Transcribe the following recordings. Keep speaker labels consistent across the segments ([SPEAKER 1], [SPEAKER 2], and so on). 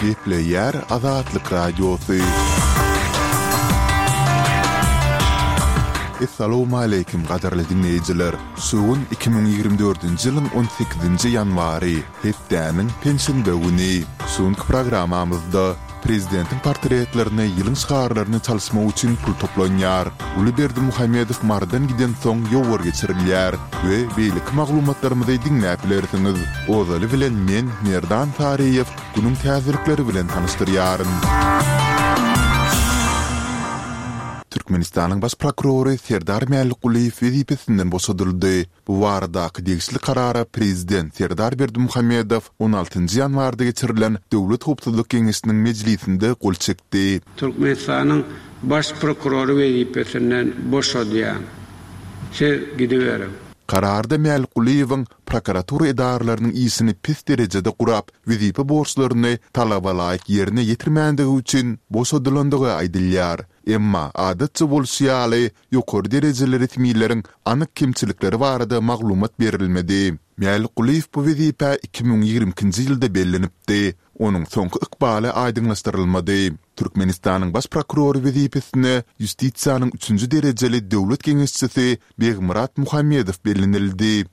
[SPEAKER 1] Gepleýär Azatlyk Radiosy. Essalawmaleýkim gadyrly diňleýjiler! Şu gün 2024-nji ýylyň on sekizinji ýanwary, hepdäniň penşenbe güni. Şu günki programmamyzda Prezidentiň portretlerini, ýylyň şygarlaryny çalyşmak üçin pul toplanýar. Uly Berdimuhamedow Marydan gidensoň ýowar geçirilýär we beýleki maglumatlarymyzy diňläp bilersiňiz. Ozaly bilen men, Merdan Saryýew, günüň täzelikleri bilen tanyşdyrýaryn. Türkmenistanyň Baş prokurory Serdar Mälikgulyýew wezipesinden boşadyldy. Bu baradaky degişli karara Prezident Serdar Berdimuhamedow on altynjy ýanwarda geçirilen Döwlet howpsuzlyk geňeşiniň mejlisinde gol çekdi.
[SPEAKER 2] Türkmenistanyň Baş prokurory wezipesinden boşadýan. Siz gidiberiň.
[SPEAKER 1] Kararda Mälikgulyýewiň prokuratura edaralarynyň işini pes derejede gurap, wezipe borçlaryny talabalaýyk ýerine ýetirmändigi üçin boşadylandygy aýdylýar. Emma, adatça bolşy ýaly, ýokary derejeli resmileriň anyk kemçilikleri barada maglumat berilmedi. Mälikgulyýew bu wezipä 2022-nji ýylda bellenipdi. Onuň soňky ykbaly aýdyňlaşdyrylmady. Türkmenistanyň Baş prokurory wezipesine ýustisiýanyň üçünji derejeli döwlet geňeşçisi Begmyrat Muhammedow bellenildi.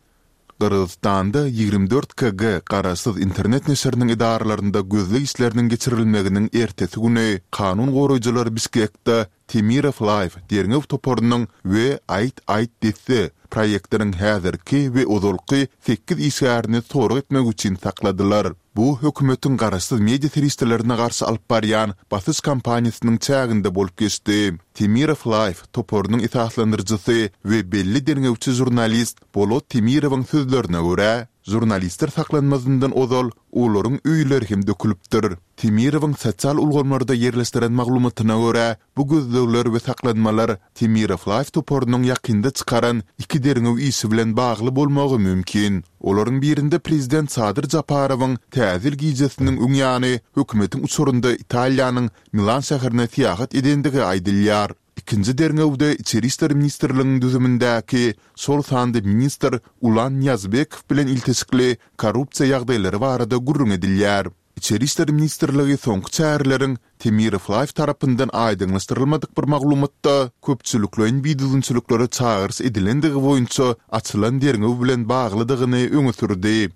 [SPEAKER 1] Gyrgyzystanda 24 KG garaşsyz internet neşiriniň edaralarynda gözleg işleriniň geçirilmeginiň ertesi güni kanun goraýjylar Bişkekde Temirow Live derňew toparynyň we Aýt aýt desse proýektiniň häzirki we ozalky sekiz işgärini sorag etmek üçin sakladylar. Bu hökümetiň garaşsyz media serişdelerine garşy alyp barýan basyş kampaniýasynyň çäginde bolup geçdi. Temirow Live toparynyň esaslandyryjysy we belli derňewçi žurnalist Bolot Temirowyň sözlerine görä, žurnalistler saklanmazyndan ozal olaryň öýleri hem dökülipdir. Temirowyň sosial ulgamlarda ýerleşdiren maglumatyna görä, bu gözlegler we saklanmalar Temirow Live toparynyň ýakynda çykaran iki derňew işi bilen bagly bolmagy mümkin. Olaryň birinde prezident Sadyr Japarowyň Täze ýyl gijesiniň öň ýany hökümetiň uçarynda Italiýanyň Milan şäherine syýahat edendigi aýdylýar. Ikinji derňewde Içeri işler ministrliginiň düzümindäki, şol sanda ministr Ulan Nyýazbekow bilen ilteşikli korrupsiýa ýagdaýlary barada gürrüň edilýär. Içeri işler ministrligi soňky çäreleriň Temirow Live tarapyndan aýdyňlaşdyrylmadyk bir maglumatda köpçülikleýin bidüzgünçiliklere çagyryş edilendigi boýunça açylan derňew bilen baglydygyny öňe sürdi.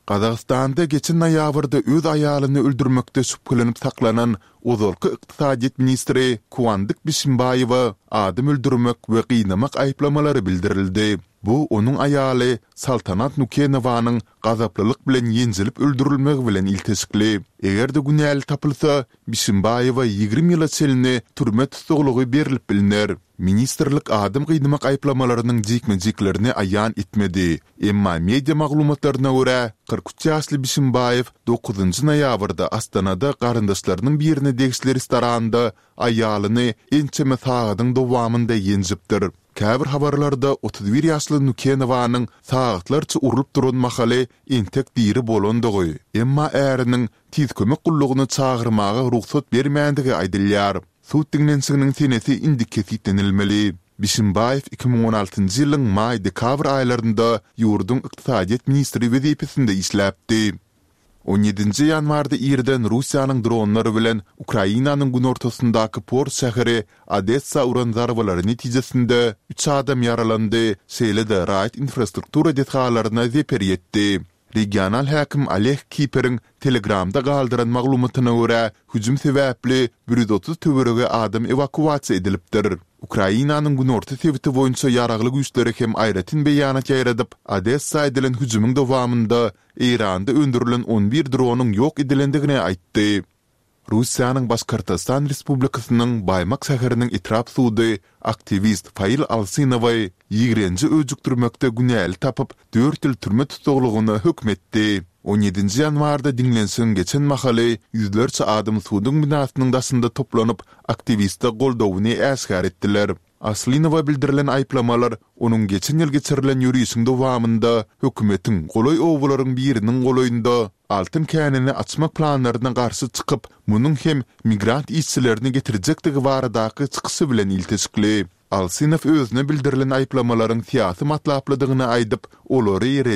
[SPEAKER 1] Gazagystanda geçen noýabrda öz aýalyny öldürmekde şübhelenip saklanan ozalky ykdysadyýet ministri Kuandyk Bişimbaýewe adam öldürmek we gynamak aýyplamalary bildirildi. Bu onuň aýaly Saltanat Nukenowanyň gazaplylyk bilen ýenjilip öldürilmegi bilen ilteşikli. Eger-de günäli tapylsa, Bişimbaýewe 20 ýyla çenli türme tussaglygy berlip bilner. Ministrlik adam gynamak aýyplamalarynyň jikme-jiklerini aýan etmedi. Emma media maglumatlaryna görä, 43 ýaşly Bişimbaýew dokuzynjy noýabrda Astanada garyndaşlarynyň birine degişli restoranda aýalyny ençeme sagadyň dowamynda ýenjipdir. Käbir habarlarda 31 ýaşly Nukenowanyň sagatlarça urlup duran mahaly entek diri bolandygy, emma äriniň Tiz kömek gullugyny çagyrmaga rugsat bermändigi aýdylýar. Sud diňlenişiginiň senesi indi kesgitlenilmeli. Bişimbaýew 2016-njy ýylyň maý-dekabr aýlarynda ýurduň ykdysadyýet ministri wezipesinde işläpdi. On ýedinji ýanwarda irden Russiýanyň dronlary bilen Ukrainanyň günortasyndaky port şäheri Odessa uran zarbalary netijesinde üç adam ýaralandy, şeýle-de raýat infrastruktura desgalaryna zeper ýetdi. Regional häkim Oleg Kiperiň Telegramda galdyran maglumatyna görä, hüjüm sebäpli 130 töweregi adam ewakuasiýa edilipdir. Ukrainanyň günorta sebiti boýunça ýaragly güýçleri hem aýratyn beýanat ýaýradyp, Odessa edilen hüjümiň dowamynda Eýranda öndürilen on bir dronyň ýok edilendigini aýtdy. Russiýanyň Başkortostan Respublikasynyň Baýmak şäheriniň etrap sudy aktiwist Fail Alsynowy ýigrenji öjükdirmekde günäli tapyp, dört ýyl türme tussaglygyna höküm etdi. On ýedinji ýanwarda diňlenişigiň geçen mahaly ýüzlerçe adam suduň binasynyň daşynda toplanyp, aktiwiste goldawyny äşgär etdiler. Aslynowa bildirilen aýyplamalar onuň geçen ýyl geçirilen ýörişiň dowamynda hökümetiň golaý obalaryň biriniň golaýynda altyn känini açmak planlaryna garşy çykyp, munuň hem migrant işçilerini getirjekdigi baradaky çykyşy bilen ilteşikli. Alsynow özüne bildirilen aýyplamalaryň syýasy matlaplydygyny aýdyp, olary ret.